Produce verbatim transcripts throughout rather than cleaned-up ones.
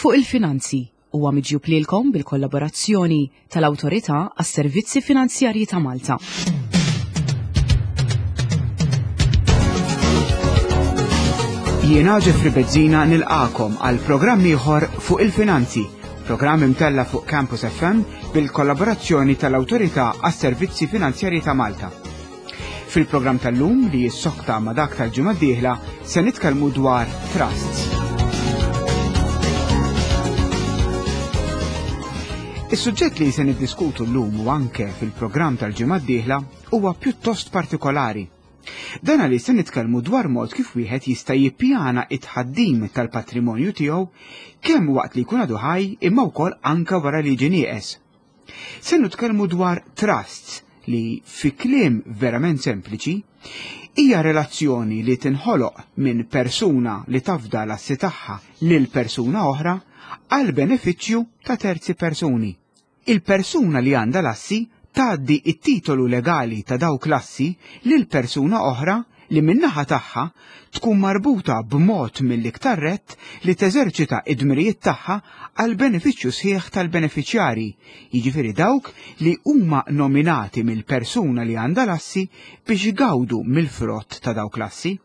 Fuq il-Finanzi huwa miġjub lilkom bil-kollaborazzjoni tal-Awtorità għas-Servizzi Finanzjarji ta' Malta. Jiena Jeffrey Bezzina nilqakom għal programm ieħor Fuq il-Finanzi, programm imtella fuq Campus F M bil-kollaborazzjoni tal-Awtorità għas-Servizzi Finanzjarji ta' Malta. Fil-programm tal-lum li jissokta ma' dak tal-ġimgħa d-dieħla se nitkellmu dwar trusts. Is-suġġett li se niddiskutu llum u anke fil-programm tal-ġimgħa d-dieħla huwa pjuttost partikolari. Dan għaliex se nitkellmu dwar mod kif wieħed jista' jippjana it-tħaddim tal-patrimonju tiegħu kemm waqt li jkun għadu ħaj imma wkoll anke wara li jiġi nieqes. Se nitkellmu dwar trusts li fi kliem verament sempliċi hija relazzjoni li tinħoloq minn persuna li tafda l-assi tagħha lil persuna oħra għal benefiċċju ta' terzi persuni. Il-persuna li għandha l-assi tgħaddi it-titolu legali ta' dawk l-assi lil persuna oħra li min-naħa tagħha tkun marbuta b'mod mill-iktar rett li teżerċita id-dmirijiet tagħha għal benefiċċju sħiħ tal-benefiċjarji, jiġifieri dawk li huma nominati mill-persuna li għandha l-assi biex igawdu mill-frott ta' dawk l-assi.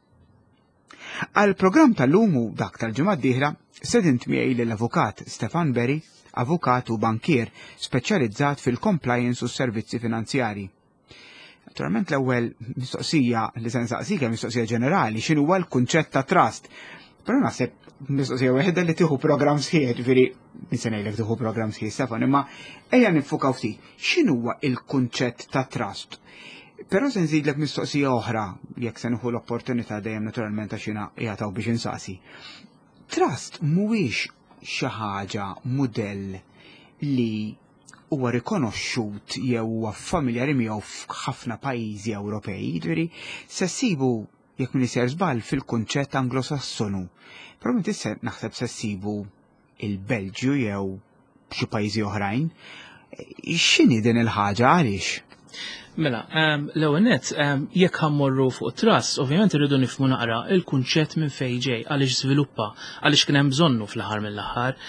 Għal programm tal-lum u dak tal-ġimgħa d-dieħla sedint miegħi lill-avukat Stefan Berry, avukat u bankier speċjalizzat fil-compliance u s-servizzi finanzjari. Naturalment l-ewwel mistoqsija li se nsaqsik hija mistoqsija ġenerali, x'inhu huwa l-kunċett ta' trust? Però naħseb mistoqsija waħda li tieħu programm sħiħ, ġifieri min se ngħidlek tieħu programm sħiħ, Stefan, imma ejja nifukaw ftit. X'inhu huwa l-kunċett ta' trust? Però se nżidlek mistoqsija oħra, jekk se nieħu l-opportunità dejjem naturalment għax jiena qiegħed biex insaqsi. Trust mhuwiex xi ħaġa mudell li huwa rikonoxxut jew huwa familjari miegħu f'ħafna pajjiżi Ewropej, jiġifieri se ssibu jekk min iser żball fil-kunċett Anglosassonu. Però inti se naħseb se ssibu il-Belġju jew xi pajjiżi oħrajn. X'inhi din il-ħaġa għaliex? Mela, ehm, l-ewwel nett, ehm, jekk ħammorru fuq trust, ovvjament irridu nifhmu naqra il-kunċett minn fejn ġej, għaliex żviluppa, għaliex kien hemm bżonnu fl-aħħar mill-aħħar.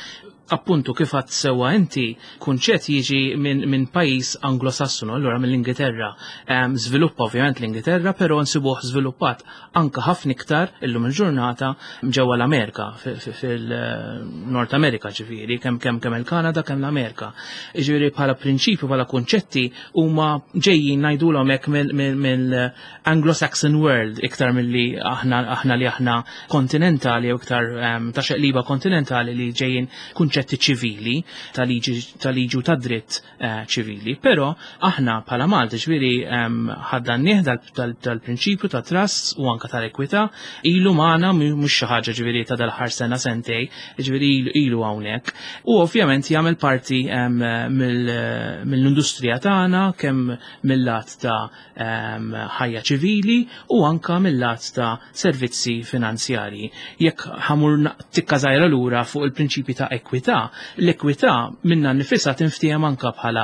Appuntu kif għadt sewwa inti, kunċett jiġi minn, minn pajjiż Anglosassonu, allura mill-Ingilterra. Ehm, żviluppa ovvjament l-Ingilterra, però nsibuh żviluppat anka ħafna iktar illum il-ġurnata ġewwa l-Amerika, fi-, fi-, fil-Nord Amerika ġifieri, kemm, kemm, kemm il-Kanada, kemm l-Amerika. Ġifieri bħala prinċipju, bħala kunċetti huma ġejjin ngħidulhom hekk mill-, mill-, mill-Anglo-Saxon world iktar milli aħna, aħna li aħna kontinentali jew iktar, ehm, ta' xeqliba kontinentali li ġejjin kunċetti ċivili, ta' liġi, ta' liġi u ta' dritt, eh, ċivili. Però aħna bħala Malta ġifieri, ehm, ħaddannieh dal-, dal-, dal-prinċipju ta' trusts u anka tal-ekwità, ilu magħna mhu-, mhux xi ħaġa ġifieri ta' dal-aħħar sena sentej, ġifieri ilu, ilu hawnhekk. U ovvjament jagħmel parti, ehm, mill-, mill-industrija tagħna kemm mill-lat ta', ehm, ħajja ċivili u anka mill-lat ta' servizzi finanzjarji. Jekk ħamur na-, tikka żgħira lura fuq il-prinċipji ta' ekwità, l-ekwità minna nifisha tinftiehem anka bħala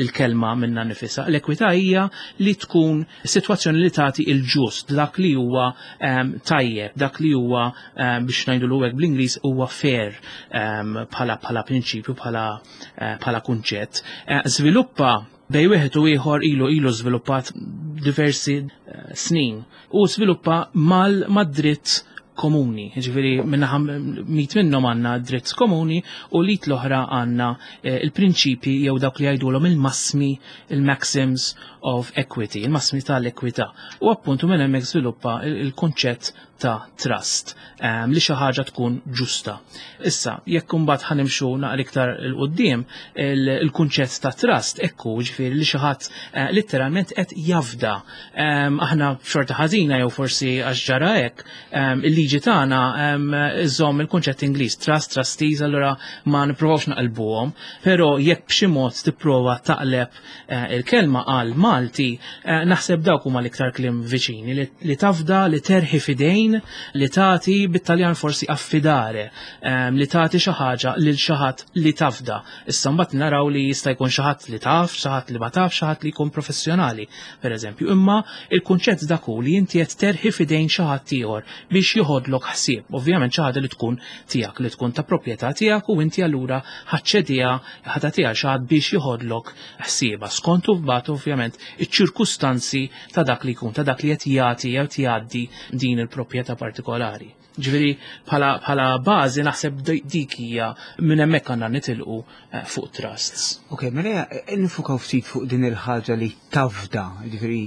l-kelma minna nifisha. L-ekwità hija li tkun sitwazzjoni li tagħti il-ġust, dak li huwa, ehm, tajjeb, dak li huwa, ehm, biex ngħidu hekk bl-Ingliż huwa fair, ehm, bħala, bħala prinċipju, bħala, eh, bħala kunċett. Eh, żviluppa bej wieħed u ieħor ilu, ilu żviluppat diversi, eh, snin u żviluppa mal-, mad-dritt komuni, ġifieri minnaħa mit minnhom għandna dritt komuni u lit l-oħra għandna, eh, il-prinċipji jew dawk li jgħidulhom il-massmi, il-maxims of equity, il-massmi tal-ekwità. U appuntu minn hemmhekk żviluppa il-, il-kunċett ta' trust, ehm, li xi ħaġa tkun ġusta. Issa, jekk imbagħad ħanimxu naqra iktar il quddiem, il-, il-kunċett ta' trust ekku, ġifieri li xi ħadd, eh, letteralment qed jafda. Ehm, aħna xorta ħażina jew forsi għax ġara hekk, ehm, il-liġi tagħna, ehm, iżomm il-kunċett Ingliż, trust, trustees, allura ma nipprovawx naqilbuhom, però jekk b'xi mod tipprova taqleb, eh, il-kelma għal Malti, eh, naħseb dawk huma l-iktar kliem viċini li, li tafda, li terħi fidejn f'idejn, li tagħti, bit-Taljan forsi affidare, li tagħti xi ħaġa lil xi ħadd li tafda. Issa mbagħad naraw li jista' jkun xi ħadd li taf, xi ħadd li ma taf, xi ħadd li jkun professjonali, pereżempju. Imma il-kunċett dak hu li inti qed terħi f'idejn xi ħadd ieħor biex joħodlok ħsieb. Ovvjament xi ħaġa li tkun tiegħek, li tkun ta' proprjetà tiegħek, u inti allura ħa ċċediha, ħa tagħtiha xi ħadd biex joħodlok ħsiebha. Skont mbagħad ovvjament iċ-ċirkustanzi ta' dak li jkun, ta' dak li qed jagħti jew jgħaddi din il-proprjetà partikolari. Ġifieri bħala bħala bażi naħseb dik hija, minn hemmhekk għandna nitilqu eh, fuq trusts. Ok, mela niffukaw ftit fuq din il-ħaġa li tafda, ġifieri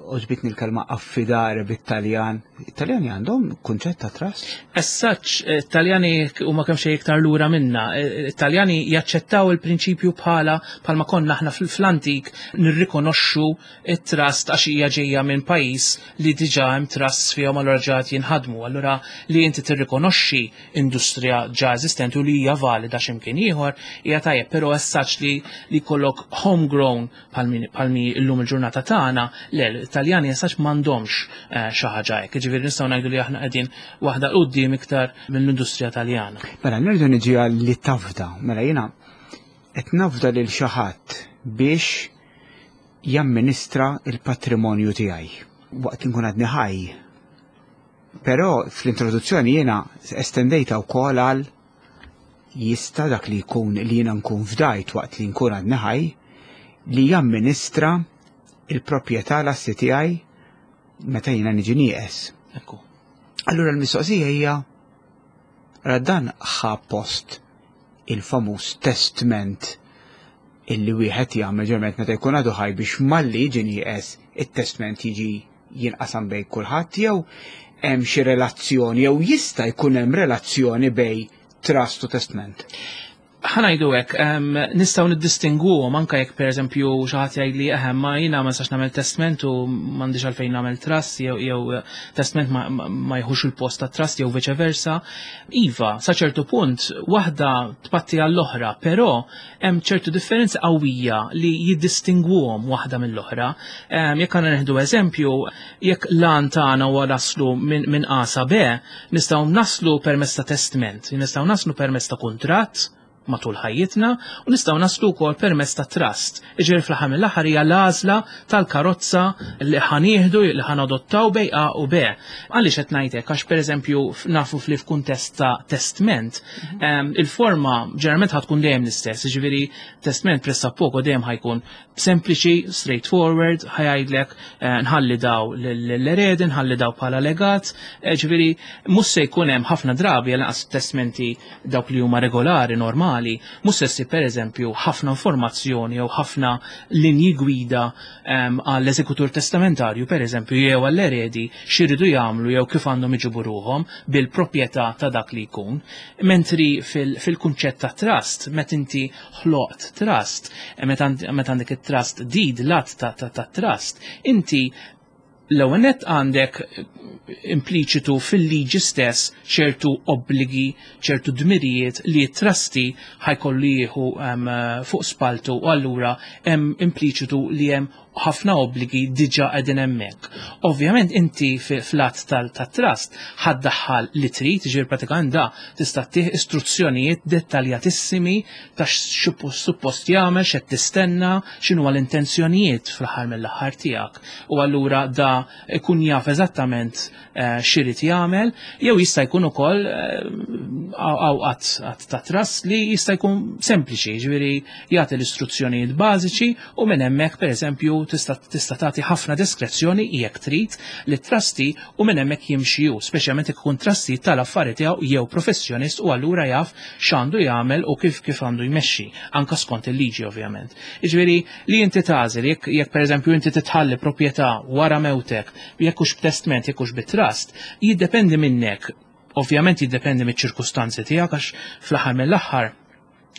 għoġbitni l-kelma affidare bit-Taljan. Italjani għandhom kunċett ta' trust? As such, Taljani huma kemm xejn iktar lura minna. Taljani jaċċettaw il-prinċipju bħala bħalma konna aħna fl-antik nirrikonoxxu it-trust, għax hija ġejja minn pajjiż li diġà hemm trusts fihom, allura ġat jinħadmu. Allura li inti tirrikonoxxi industrija ġa eżistenti u li hija valida x'imkien ieħor hija tajjeb, però as such li li jkollok homegrown bħalma llum il-ġurnata tagħna, le, Taljani as such m'għandhomx eh, xi ħaġa hekk. Ġifieri nistgħu ngħidu li aħna qegħdin waħda quddiem iktar mill-industrija Taljana. Mela nerġa' niġi għal li tafda. Mela jiena qed nafda lil xi ħadd biex jamministra il-patrimonju tiegħi waqt li nkun għadni ħaj. Però fl-introduzzjoni jiena estendejta wkoll għal jista' dak li jkun li jiena nkun fdajt waqt li nkun għadni ħaj li jamministra il-proprjetà, l-assi tiegħi meta jiena niġi nieqes. Ekku. Allura l-mistoqsija hija, dan ħa post il-famuż testament illi wieħed jagħmel ġeneralment meta jkun għadu ħaj, biex malli jiġi nieqes it-testament jiġi jinqasam bejn kulħadd, jew hemm xi relazzjoni jew jista' jkun hemm relazzjoni bejn trust u testament? Ħa ngħidu hekk, nistgħu niddistinguhom, anke jekk pereżempju xi ħadd jgħid li eħe, ma jiena ma nistax nagħmel testament u m'għandix għalfejn nagħmel trust, jew jew testament ma, ma jħux il-post ta' trust jew viċe versa. Iva, sa ċertu punt waħda tpatti għall-oħra, però hemm ċertu differenza qawwija li jiddistingwuhom waħda mill-oħra. Jekk għandna nieħdu eżempju, jekk l-għan tagħna huwa naslu minn min A sa B, nistgħu naslu permezz ta' testament, nistgħu naslu permezz ta' kuntratt matul ħajjitna u nistgħu naslu wkoll permezz ta' trust. Iġifieri fl-aħħar mill-aħħar hija l-għażla tal-karozza li ħa nieħdu, li ħa nadottaw bejn A u B. Għaliex qed ngħidlek? Għax pereżempju nafu fli f'kuntest ta' testament, mhm. il-forma ġeneralment ħa tkun dejjem l-istess, jiġifieri testament pressappoco dejjem ħa jkun sempliċi, straightforward, ħa jgħidlek eh, nħalli daw l-eredi, nħalli daw bħala legat, eh, ġifieri mhux se jkun hemm ħafna drabi, għal testamenti dawk li huma regolari, normali, mhux se ssib pereżempju ħafna informazzjoni jew ħafna linji gwida għall-eżekutur testamentarju pereżempju jew għall-eredi x'iridu jagħmlu jew kif għandhom iġibu ruhom bil-proprjetà ta' dak li jkun. Mentri fil-kunċett ta' trust, meta inti ħloqt trust, meta għandek it-trust deed, l-att ta' trust, inti l-ewwel nett għandek impliċitu fil-liġi stess ċertu obbligi, ċertu dmirijiet li t-trustee ħa jkollu jieħu fuq spaltu, u allura hemm impliċitu li hemm ħafna obbligi diġà qegħdin hemmhekk. Ovvjament inti fl-att tal-trust ħa ddaħħal li trid, ġifieri pratikament da tista' ttih istruzzjonijiet dettaljatissimi ta' suppost jagħmel, x'qed tistenna, x'inhu l-intenzjonijiet fl-aħħar mill-aħħar tiegħek. U allura da ikun jaf eżattament eh, x'irid jagħmel, jew jista' jkun ukoll għaw att ta' trust li jista' jkun sempliċi, ġifieri jagħti l-istruzzjonijiet bażiċi u minn hemmhekk pereżempju tista' tista' tagħti ħafna diskrezzjoni jekk trid li trustee u minn hemmhekk jimxi hu, speċjalment jekk ikun trustee tal-affari tiegħu jew professjonist u allura jaf x'għandu jagħmel u kif kif għandu jmexxi, anka skont il-liġi ovvjament. Jiġifieri li inti tagħżel jekk jekk pereżempju inti titħalli proprjetà wara mewtek, jekk hux b'testment, jekk hux bit-trust, jiddependi minnek. Ovvjament jiddependi miċ-ċirkustanzi tiegħek, għax fl-aħħar mill-aħħar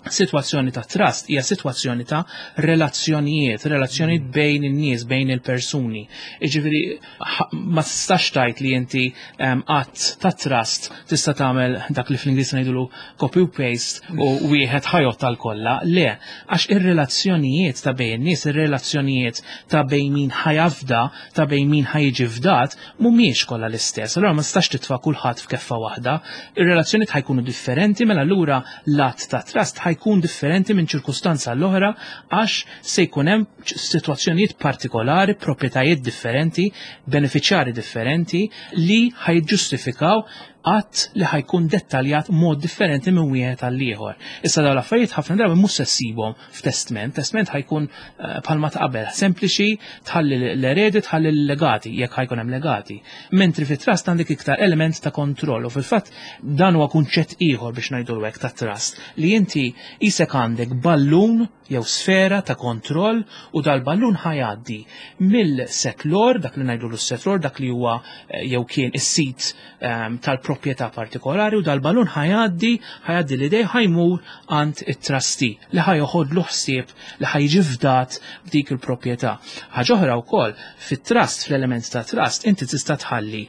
Situazzjoni ta' trust hija situazzjoni ta' relazzjonijiet, relazzjonijiet bejn in-nies, bejn il-persuni. Jiġifieri ma tistax tgħid li inti att ta' trust tista' tagħmel dak li fl-Ingliż ngħidulu copy u paste u wieħed ħajot tal-kollha. Le, għax ir-relazzjonijiet ta' bejn in-nies, ir-relazzjonijiet ta' bejn min ħajafda, ta' bejn min ħajġi fdat, mhumiex kollha l-istess. Allura ma tistax titfa' kulħadd f'keffa waħda. Ir-relazzjonijiet ħajkunu differenti, mela allura l-att ta' trust ħajkun differenti minn ċirkustanza l-oħra għax se jkun hemm sitwazzjonijiet partikolari, proprjetajiet differenti, beneficjari differenti li ħajġustifikaw att li ħajkun dettaljat mod differenti minn wieħed għal ieħor. Issa dawn l-affarijiet ħafna drabi mhux se ssibhom f'testment, testment ħajkun eh, bħalma ta' qabel, sempliċi, tħalli l-eredi, tħalli l-legati, jekk ħajkun hemm legati. Mentri fit-trust għandek iktar element ta' kontroll u fil-fatt dan huwa kunċett ieħor biex ngħidu hekk ta' trust li inti isek għandek ballun jew sfera ta' kontroll u dal-ballun ħajgħaddi mill-settlor, dak li ngħidu l-settlor, dak li huwa eh, jew kien is-sit ehm, tal-proprjetà partikolari, u dal-ballun ħajgħaddi ħajgħaddi l-idej ħajmur għand it-trustee li ħajoħodlu ħsieb li ħajġi fdat b'dik il-proprjetà. Ħaġa oħra wkoll fit-trust, fl-element ta' trust, inti tista' tħalli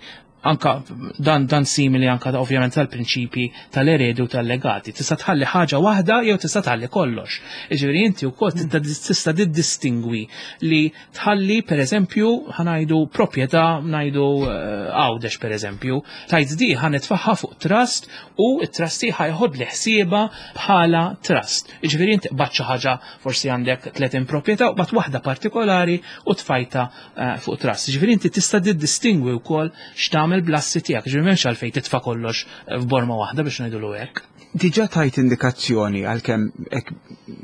anka dan dan simili anka ovvjament tal-prinċipi tal-eredi u tal-legati. Tista' tħalli ħaġa waħda jew tista' tħalli kollox. Jiġifieri inti wkoll tista' tiddistingwi li tħalli, pereżempju, ħanajdu proprjetà, ngħidu eh, Għawdex pereżempju, tajt di ħa nitfagħha fuq trust u t-trustee ħajħod li ħsieba bħala trust. Jiġifieri inti qbadt xi ħaġa, forsi għandek tletin proprjetà u bat waħda partikolari u tfajta eh, fuq trust. Jiġifieri inti tista' tiddistingwi wkoll x'tagħmel bl-assi tiegħek, ġifieri m'hemmx għalfejn titfa' kollox f'borma waħda biex ngħidulu hekk. Diġà tajt indikazzjoni għalkemm hekk,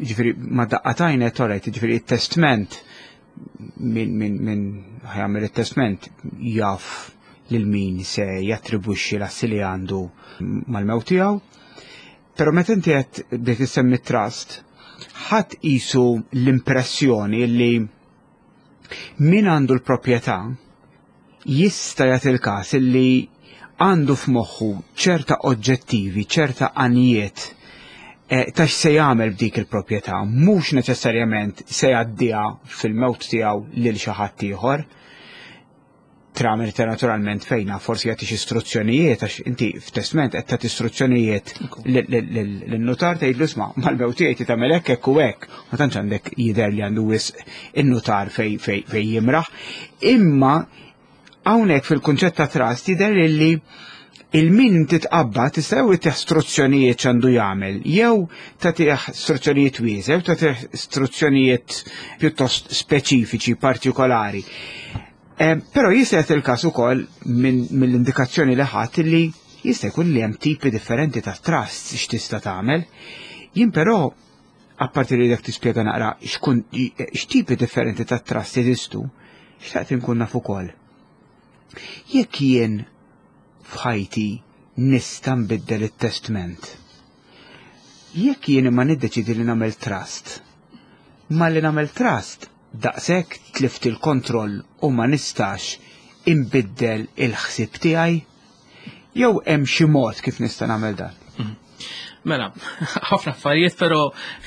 ġifieri ma daqqatajn torajt, ġifieri it-testment, min min min ħajamel it-testment jaf lil min se jattribwixxi l-assi li għandu mal-mewt tiegħu. Però meta inti qed bdejt issemmi trust, ħadd qisu l-impressjoni li min għandu l-proprjetà jista' jagħti il-każ li għandu f'moħħu ċerta oġġettivi, ċerta għanijiet eh, ta' x'se jagħmel b'dik il-proprjetà, mhux neċessarjament se jgħaddiha fil-mewt tiegħu lil xi ħadd ieħor. Tramite naturalment fejna forsi jagħti xi istruzzjonijiet, għax inti f'testment qed tagħti istruzzjonijiet lin-nutar, tgħidlu: "Isma', mal-mewt tiegħi tagħmel hekk, hekk u hekk." Ma tantx għandek jidher li għandu wisq in-nutar fej fej fej jimraħ. Imma hawnhekk fil-kunċett ta' trust jidher li il-min titqabba tista' jew tih istruzzjonijiet x'għandu jagħmel, jew tagħtih istruzzjonijiet wiesa', jew tagħtih istruzzjonijiet pjuttost speċifiċi, partikolari. Eh, Però jista' jagħti il-każ ukoll minn mill-indikazzjoni li ħadd li jista' jkun li hemm tipi differenti ta' trust x'tista' tagħmel. Jien però, apparti li dak tispjega naqra x'kun x'tipi differenti ta' trust jeżistu, xtaqt inkun naf ukoll. Jekk jien f'ħajti nista' nbiddel it-testament, jekk jien imma niddeċidi li nagħmel trust, ma li nagħmel trust daqshekk tlift il-kontroll u ma nistax imbiddel il-ħsieb tiegħi, jew hemm xi mod kif nista' nagħmel dan? Mela, ħafna affarijiet però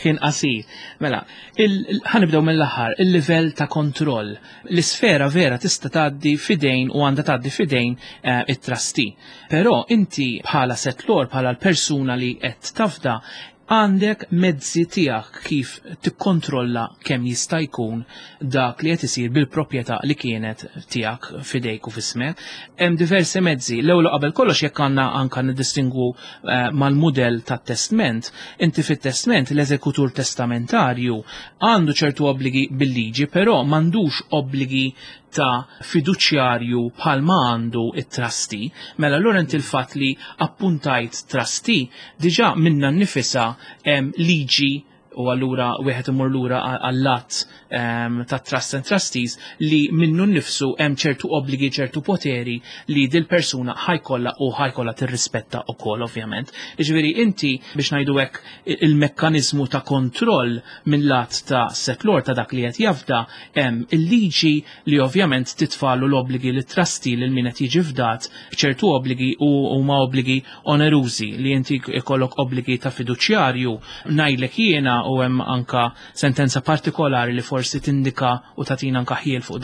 ħin qasir. Mela, ħanibdew mill-aħħar, il-livell ta' kontroll. L-isfera vera tista' tgħaddi fidejn u għandha tgħaddi fidejn eh, it-trustee. Però inti bħala settlor, bħala l-persuna li qed tafda, għandek mezzi tiegħek kif tikkontrolla kemm jista' jkun dak li qed isir bil-proprjetà li kienet tiegħek fidejk u f'ismek. Hemm diversi mezzi. L-ewwel qabel kollox, jekk għandna anka niddistingwu eh, mal-mudell tat-testment, inti fit-testment l-eżekutur testamentarju għandu ċertu obbligi bil-liġi, però m'għandux obbligi ta' fiduċjarju bħalma għandu it-trustee. Mela allura inti l-fatt li appuntajt trustee diġà minna nnifisha hemm liġi U allura wieħed imur lura għall-att um, ta' Trust and Trustees li minnu nnifsu hemm ċertu obbligi, ċertu poteri li dil-persuna ħa jkollha u ħa jkollha tirrispetta ukoll, ovvjament. Jiġifieri inti, biex ngħidu hekk, il-mekkaniżmu ta' kontroll minn lat ta' settlor, ta' dak li qed jafda, hemm il-liġi li ovvjament titfalu l-obbligi li trustee, lil min qed jiġi fdat, ċertu obbligi, u huma obbligi onerużi li inti ikollok obbligi ta' fiduċjarju, ngħidlek jiena, u hemm anka sentenza partikolari li forsi tindika u tatina anka ħjiel fuq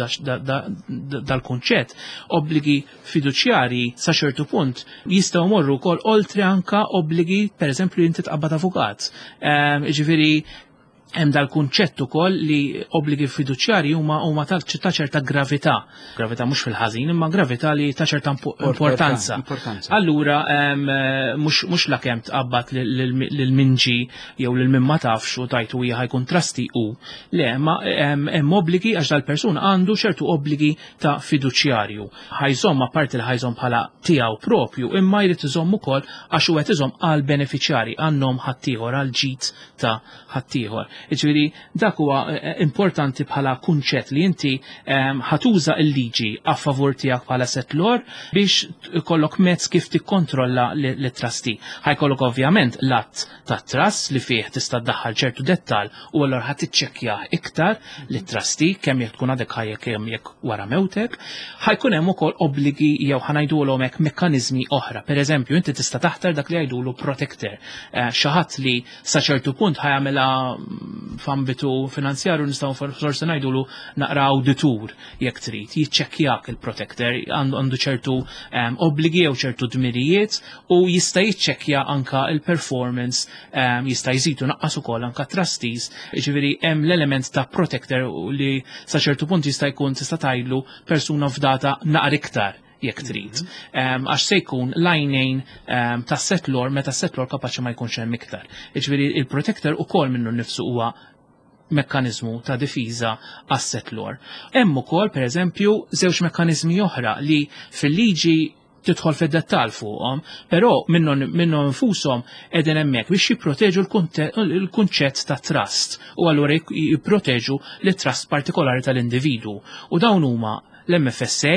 dal-kunċett. Obbligi fiduċjarji sa ċertu punt jistgħu morru wkoll oltre anka obbligi, pereżempju, inti tqabbad avukat. Ehm, ġifieri hemm dal-kunċett ukoll li obbligi fiduċjarji huma huma ta' ċerta gravità. Gravità mhux fil-ħażin, imma gravità li ta' ċerta importanza. Allura mhux la kemm tqabbad lil min ġie jew lil min ma tafx u tajtu hija ħa jkun trustee u le, ma hemm obbligi għax dal-persuna għandu ċertu obbligi ta' fiduċjarju. Ħa jżomm, apparti li ħa jżomm bħala tiegħu propju, imma jrid iżomm ukoll għax u qed iżomm għal benefiċjarji, għan-nom ħaddieħor, għal ġid ta' ħaddieħor. Ġifieri dak huwa eh, eh, importanti bħala kunċett li inti ehm, ħa tuża il-liġi a favur tiegħek bħala settlor biex ikollok mezz kif tikkontrolla l-trustee. Ħa jkollok ovvjament l-att ta' trust li fih tista' ddaħħal ċertu dettal u allura ħa tiċċekkja iktar li trustee kemm jekk tkun għadek ħajja, kemm jekk wara mewtek. Ħa jkun hemm ukoll obbligi jew, ħa ngħidulhom hekk, mekkaniżmi oħra. Per eżempju, inti tista' taħtar dak li jgħidulu protector. Eh, xi ħadd li sa ċertu punt ħa jagħmilha f'ambitu finanzjarju, nistgħu forsi ngħidulu naqra auditur jekk trid, jiċċekkjak il-protector, għandu ċertu um, obbligi jew ċertu dmirijiet u jista' jiċċekkja anka il-performance, um, jista' jżidu naqqas ukoll anka trustees, ġifieri hemm l-element ta' protector li sa ċertu punt jista' jkun, tista' tgħidlu, persuna fdata naqra iktar jekk trid. Għax se jkun l-għajnejn ta' settlor meta settlor kapaċi ma jkunx hemm iktar. Ġifieri il-protector ukoll minnu nnifsu huwa mekkanizmu ta' difiża għas-settlor. Hemm ukoll, pereżempju, żewġ mekkaniżmi oħra li fil-liġi tidħol fid-dettal fuqhom, però minnhom minnhom infushom qegħdin hemmhekk biex jipproteġu l-kunċett ta' trust u allura jipproteġu l-trust partikolari tal-individwu. U dawn huma l-M F S A,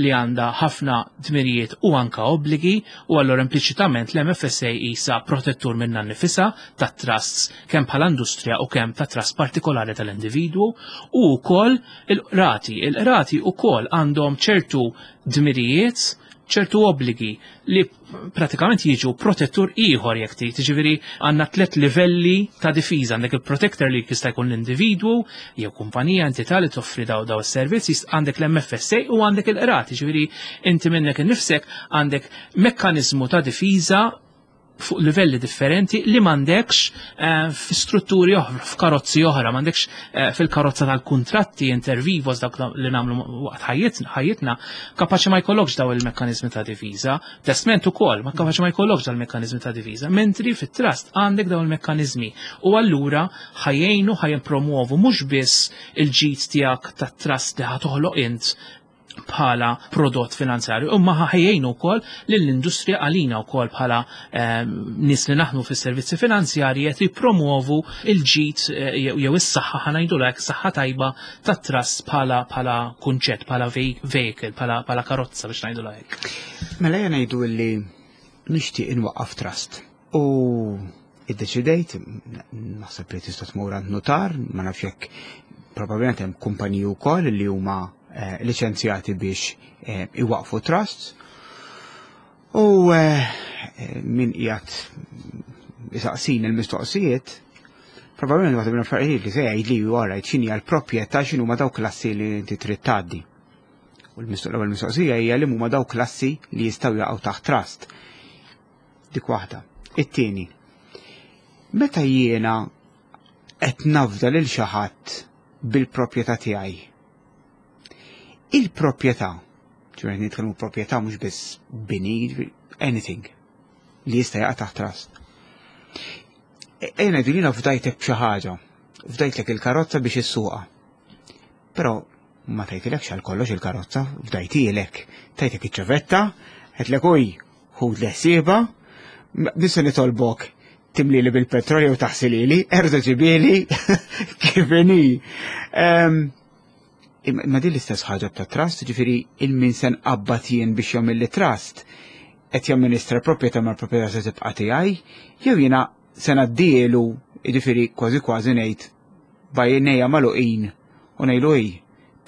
li għandha ħafna dmirijiet u anka obbligi, u allura impliċitament l-M F S A isa protettur minna nnifisha ta' trusts, kemm bħala industrija u kemm ta' trust partikolari tal-individwu, u wkoll il-qrati. Il-qrati wkoll għandhom ċertu dmirijiet, ċertu obbligi li pratikament jiġu protettur ieħor jekk trid. Ġifieri għandna tliet livelli ta' difiża: għandek il-protector li jista' jkun l-individwu jew kumpanija, entità li toffri daw daw is-servizz, għandek l-M F S A u għandek il-qrati. Ġifieri inti minnek innifsek għandek mekkaniżmu ta' difiża fuq livelli differenti li m'għandekx eh, fi strutturi oħra, f'karozzi oħra, m'għandekx eh, fil-karozza tal-kontratti inter vivos, dak li nagħmlu waqt ħajjitna, kapaċi ma jkollokx daw il-mekkaniżmi ta' difiża, testment ukoll, ma kapaċi ma jkollokx dal il-mekkaniżmi ta' difiża, mentri fit-trust għandek daw il-mekkaniżmi u allura ħa jgħinu, ħa jippromuovu mhux biss il-ġid tiegħek tat-trust li ħa toħloq int bħala prodott finanzjarju, imma ħa jgħinu wkoll lill-industrija, għalina wkoll bħala ehm, nies li naħdmu fis-servizzi finanzjarji, qed jippromuovu il-ġid eh, jew is-saħħa, ħa ngħidulek, saħħa tajba tat-trust bħala bħala kunċett, bħala vehicle, bħala bħala karozza, biex ngħidu hekk. Mela jena ngħidu li nixtieq inwaqqaf trust. U iddeċidejt, naħseb li tista' tmur għand notar, ma nafx jekk probabbilment hemm kumpaniji wkoll li huma eh, liċenzjati biex eh, iwaqfu trusts. U eh, min qiegħed isaqsin il-mistoqsijiet, probabbilment waħda minn affarijiet li se jgħid li wara x'inhi l-proprjetà, x'inhu ma dawk l-assi li inti trid tgħaddi. U l-ewwel mistoqsija hija li huma dawk l-assi li jistgħu jaqgħu taħt trust. Dik waħda. It-tieni, meta jiena qed nafda lil xi ħadd bil-proprjetà tiegħi, il-proprjetà, ġifieri nitkellmu proprjetà mhux biss bini, anything li jista' jaqa' taħt trust. Ejna ngħidu jiena fdajtek b'xi ħaġa, fdajtlek il-karozza biex issuqha. Però ma tajtilekx għal kollox il-karozza, fdajtilek, tajtek iċ-ċavetta, għedtlek uj, ħud l-ħsieba, nista' nitolbok Timlili bil-petrol jew taħsilili, erġa' ġibieli kif inhi. Ehm, Imma din l-istess ħaġa ta' trust, ġifieri il-min se nqabbad jien biex jagħmel trust qed jamministra proprjetà, ma proprjetà se tibqa' tiegħi, jew jiena se ngħaddielu, jiġifieri kważi kważi ngħid b'għajnejja magħluqin u ngħidlu hi,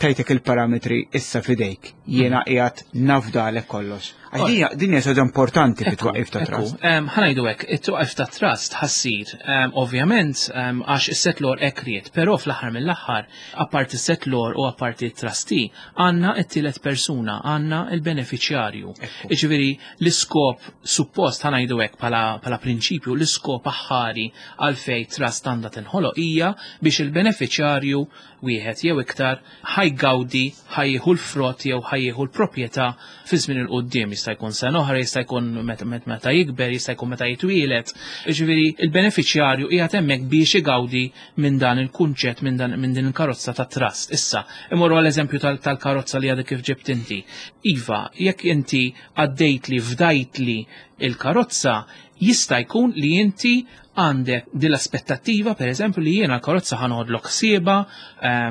tajtek il-parametri issa fidejk, jiena qiegħed nafdalek kollox. Għax din hija- din hija ħaġa importanti fit-twaqif ta' trust. Ħa ngħidu hekk, it-twaqif ta' trust ħa ssir, ovvjament, em, għax is-settlor hekk ried, però fl-aħħar mill-aħħar, apparti is-settlor u apparti it-trustee, għandna it-tielet persuna, għandna il-beneficjarju. Iġifieri l-iskop suppost, ħa ngħidu hekk bħala bħala prinċipju, l-iskop aħħari għalfej trust għandha tinħoloq hija biex il-beneficjarju wieħed jew iktar ħa jgawdi, ħa jieħu l-frott jew ħa jieħu l-proprjetà fi żmien 'il quddiem, jista' jkun sena oħra, jista' jkun meta meta jikber, jista' jkun meta jitwielet. Ġifieri il-beneficjarju qiegħed hemmhekk biex igawdi minn dan il-kunċett, minn dan minn din il-karozza ta' trust. Issa, imorru għall-eżempju tal- tal-karozza li għadek kif ġibt inti. Iva, jekk inti għaddejt li fdajt li il-karozza, jista' jkun li inti għandek din l-aspettattiva, per eżempju, li jiena l-karozza ħa noħodlok ħsiebha,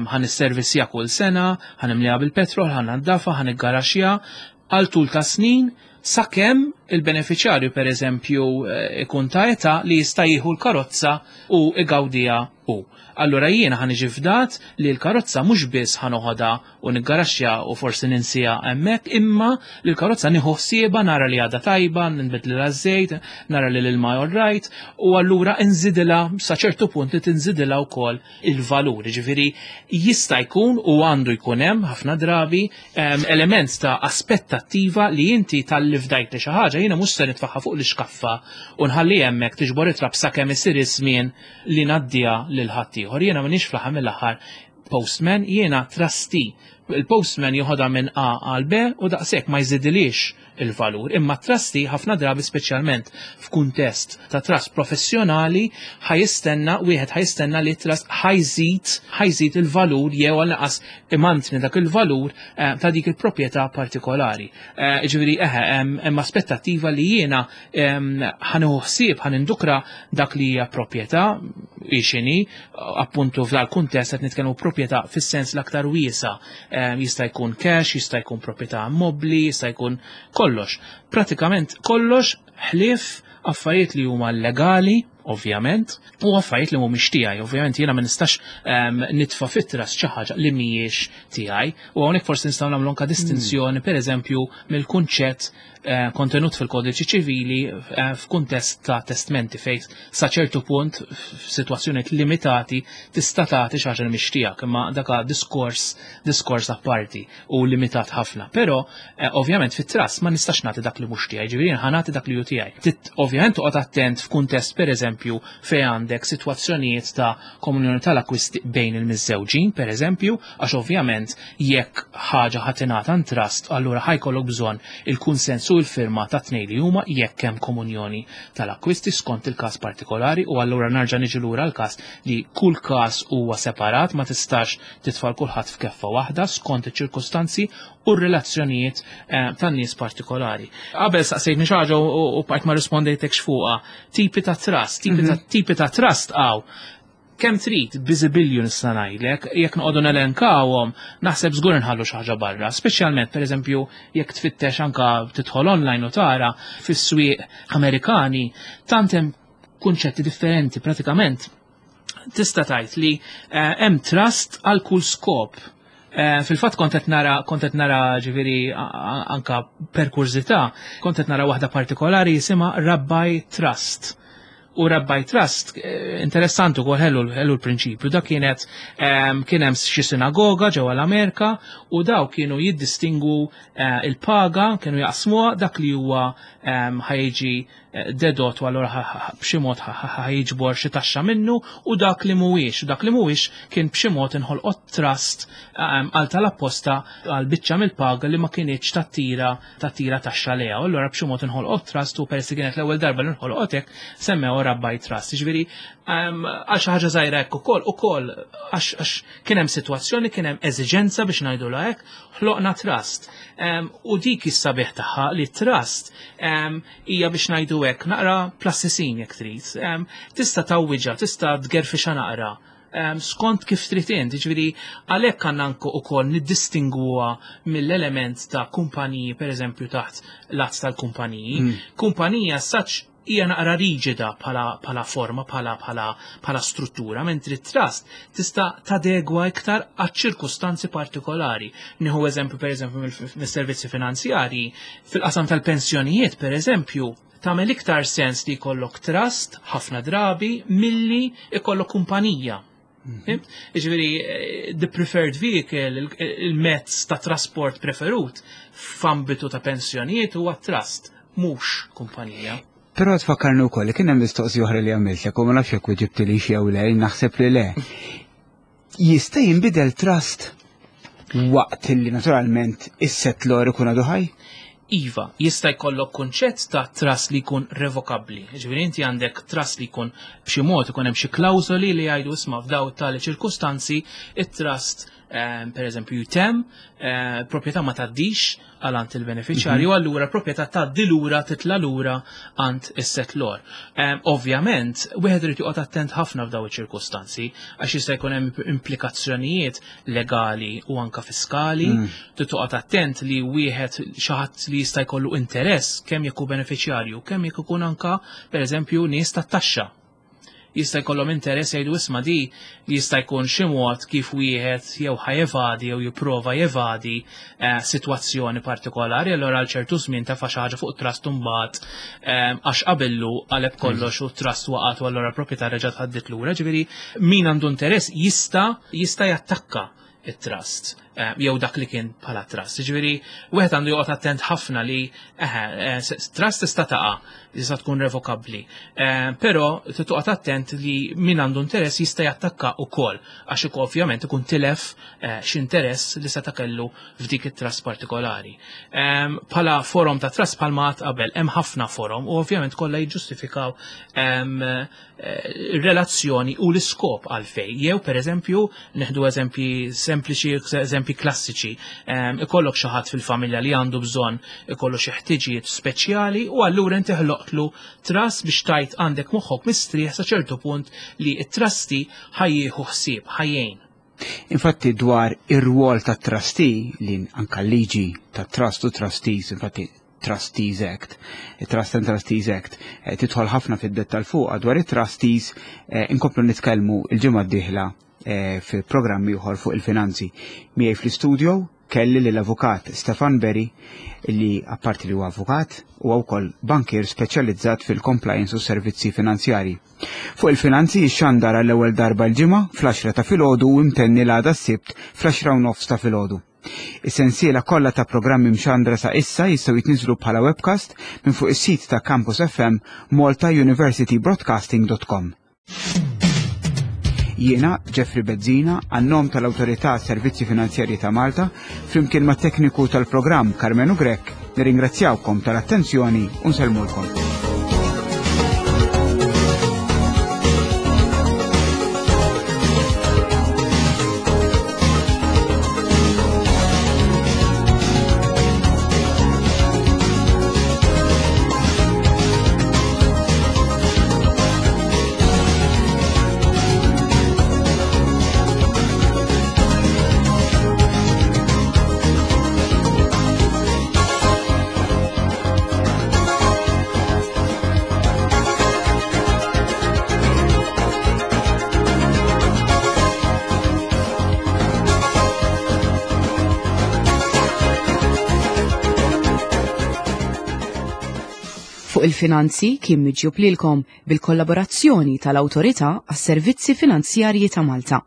ħa nisservisja kull sena, ħa nimliha bil-petrol, ħa nnaddafha, ħa niggaraxja, għal tul ta' snin, sakemm il-beneficjarju, per eżempju, eh, ikun ta' età li jista' jieħu l-karozza u igawdija hu. Allura jiena ħa niġi fdat li l-karozza mhux biss ħa noħodha u niggaraxxja u forsi ninsija hemmhekk, imma li l-karozza nieħu ħsiebha, nara li għadha tajba, nbidlilha żejt, nara li l-ilma all right, u allura nżidilha sa ċertu punt li tinżidilha wkoll il-valur. Ġifieri jista' jkun u għandu jkun hemm ħafna drabi em, element ta' aspettattiva li inti talli fdajt li xi ħaġa, jiena mhux se nitfaħħa fuq l-iskaffa u nħalli hemmhekk tiġbor it-trab sakemm isir iż-żmien li ngħaddiha lil ħaddieħor. Jiena m'iniex fl-aħħar mill-aħħar postman, jiena trustee. Il-postman joħodha minn A għal B u daqshekk, ma jżidilix il-valur. Imma trustee ħafna drabi, speċjalment f'kuntest ta' trust professjonali, ħa jistenna, wieħed ħa jistenna li trust ħa jżid ħa jżid il-valur jew għal imantni dak il-valur eh, ta' dik il-proprjetà partikolari. Eh, Ġifieri eħe, hemm hemm aspettattiva li jiena em, ħa nieħu ħsieb, ħa nindukra dak li hija proprjetà x'inhi, appuntu f'dal kuntest qed nitkellmu proprjetà fis-sens l-aktar wiesa. Em, Jista' jkun cash, jista' jkun proprjetà mobbli, jista' jkun kollox. Pratikament kollox ħlief affarijiet li huma legali, ovvjament, u affarijiet li mhumiex tiegħi. Ovvjament jiena ma nistax um, nitfa' fit-trust xi ħaġa li mhijiex tiegħi. U hawnhekk forsi nistgħu nagħmlu anke distinzjoni, pereżempju, mill-kunċett eh, kontenut fil-kodiċi ċivili eh, f'kuntest ta' testmenti, fejn sa ċertu punt f'sitwazzjonijiet limitati tista' tagħti xi ħaġa li mhix tiegħek, imma dak diskors diskors apparti u limitat ħafna. Però eh, ovvjament fit-trust ma nistax nagħti dak li mhux tiegħi, ġifieri ħa nagħti dak li hu tiegħi. Tit- Ovvjament toqgħod attent f'kuntest, pereżempju, fejn għandek sitwazzjonijiet ta' komunjoni tal-akwisti bejn il-miżżewġin, pereżempju, għax ovvjament jekk ħaġa ħa tingħata trust, allura ħa jkollok bżonn il-kunsens u l-firma ta' tnejn li huma jekk hemm komunjoni tal-akwisti skont il-każ partikolari. U allura narġa' niġi lura l-każ li kull każ huwa separat, ma tistax titfa' 'l kulħadd f'keffa waħda skont iċ-ċirkustanzi u r-relazzjonijiet eh, tan-nies partikolari. Qabel saqsejtni xi ħaġa u u bqajt ma rispondejtekx fuqha. Tipi ta' trust, tipi ta' tipi ta' trust għaw. Kemm trid biżibilju nista' ngħidlek, jekk noqogħdu nelenkawhom, naħseb żgur nħallu xi ħaġa barra, speċjalment, pereżempju, jekk tfittex anka tidħol online u tara fis-swieq Amerikani, tant hemm kunċetti differenti, pratikament tista' tgħid li eh, hemm trust għal kull skop. Eh, Fil-fatt kont qed nara kont qed nara ġifieri a- a- anka per kurżità, kont qed nara waħda partikolari jisimha Rabbi Trust. U Rabbi Trust, eh, interessanti ukoll, ħellu ħellu l-prinċipju, da kienet em, kien hemm xi sinagoga ġewwa l-Amerika u daw kienu jiddistingu eh, il-paga, kienu jaqsmuha dak li huwa em, ħa jiġi eh, dedott u allura ħa- ħa- b'xi mod ħa- ħa- ħa jiġbor xi taxxa minnu u dak li mhuwiex. U dak li mhuwiex kien b'xi mod inħolqot trust em, għal tal-apposta għal biċċa mill-paga li ma kinitx tattira tattira taxxa lejha. U allura b'xi mod inħolqot trust u peress li kienet l-ewwel darba li nħolqot hekk, semmew Rabbi Trust. Ġifieri em, għal xi ħaġa żgħira hekk ukoll ukoll għax għax kien hemm sitwazzjoni, kien hemm eżiġenza biex ngħidulha hekk, ħloqna trust. Em, U dik is-sabiħ tagħha li trust em, hija biex ngħidu hekk naqra plastisin jekk trid. Tista' tgħawwiġha, tista' tgerfixha naqra. Skont kif trid int, jiġifieri għalhekk għandna ukoll niddistingwuha mill-element ta' kumpaniji, pereżempju taħt l-att tal-kumpaniji. Mm. Kumpanija saċ hija naqra riġida bħala forma, bħala bħala bħala struttura, mentri trust tista' tadegwa iktar għaċ-ċirkustanzi partikolari. Nieħu eżempju pereżempju mis-servizzi finanzjarji, fil-qasam tal-pensjonijiet pereżempju, tagħmel iktar sens li jkollok trust ħafna drabi milli jkollok kumpanija. Jiġifieri, the preferred vehicle, il-mezz ta' trasport preferut f'ambitu ta' pensjonijiet huwa trust, mhux kumpanija. Però tfakkarni wkoll li kien hemm mistoqsija oħra li għamiltlek u ma nafx jekk weġibtli jew le, naħseb li le. Jista' jinbidel trust waqt li naturalment is-settlor ikun għadu ħaj? Iva, jista' jkollok kunċett ta' trust li jkun revokabbli. Ġifieri inti għandek trust li jkun b'xi mod ikun hemm xi klawżoli li jgħidu isma' f'daw tali ċirkustanzi it-trust per eżempju jitem, proprjetà ma tgħaddix għal għand il-beneficjarju, allura proprjetà tgħaddi lura titla' lura għand is-settlor. Ovvjament, wieħed irid joqgħod attent ħafna f'daw iċ-ċirkustanzi għax jista' jkun hemm implikazzjonijiet legali u anka fiskali, trid toqgħod attent li wieħed xi ħadd li jista' jkollu interess kemm jekk hu beneficjarju, kemm jekk ikun anka pereżempju nies tat-taxxa. Jista' jkollhom interess jgħidu isma' di jista' jkun xi mod kif wieħed jew ħajevadi jew jipprova jevadi sitwazzjoni partikolari, allura għal ċertu żmien tefa' xi ħaġa fuq trust imbagħad għax qabillu qaleb kollox u trust waqgħet u allura l-proprjetà reġgħet ħaddit lura. Ġifieri min għandu interess jista' jista' jattakka it-trust jew dak li kien bħala trust. Ġifieri wieħed għandu joqgħod attent ħafna li eħe trust tista' taqa' tista' tkun revokabbli. Però toqgħod attent li min għandu interess jista' jattakka wkoll għax ovvjament ikun tilef x'interess li seta' kellu f'dik it-trust partikolari. Bħala forum ta' trust bħalma għad qabel hemm ħafna forum u ovvjament kollha jiġġustifikaw relazzjoni u l-iskop għalfej. Jew pereżempju neħdu eżempji sempliċi, eżempji klassiċi, ikollok xi ħadd fil-familja li għandu bżonn ikollu xi ħtiġijiet speċjali u allura inti ħloqtlu trust biex tajt għandek moħħok mistrieħ sa ċertu punt li t-trustee ħajjieħu ħsieb, ħajjejn. Infatti dwar ir-rwol tat trustee li anka liġi tat trust u trustees, infatti Trustees Act, Trust and Trustees Act, tidħol ħafna fid-dettal fuq dwar it-trustees, inkomplu nitkellmu il-ġimgħa d-dieħla fi programmi ieħor fuq il-finanzi. Miegħi fl-istudio kelli lill-avukat Stefan Berry li apparti li huwa avukat huwa wkoll bankier speċjalizzat fil-compliance u servizzi finanzjari. Fuq il-finanzi jixxandar għall-ewwel darba l-ġimgħa fl-għaxra ta' filgħodu u imtenni l-għada s-Sibt fl-għaxra u nofs ta' filgħodu. Is-sensiela kollha ta' programmi mxandra sa' issa jistgħu jitniżlu bħala webcast minn fuq is-sit ta' Campus F M Malta University Broadcasting dot com. Jiena Jeffrey Bezzina, għan-nom tal-Awtorità Servizzi Finanzjarji ta' Malta, flimkien mat tekniku tal-programm Karmenu Grech, nirringrazzjawkom tal-attenzjoni u nsellmulkom. Fuq il-finanzi kien miġjub lilkom bil-kollaborazzjoni tal-Awtorità għas-Servizzi Finanzjarji ta' Malta.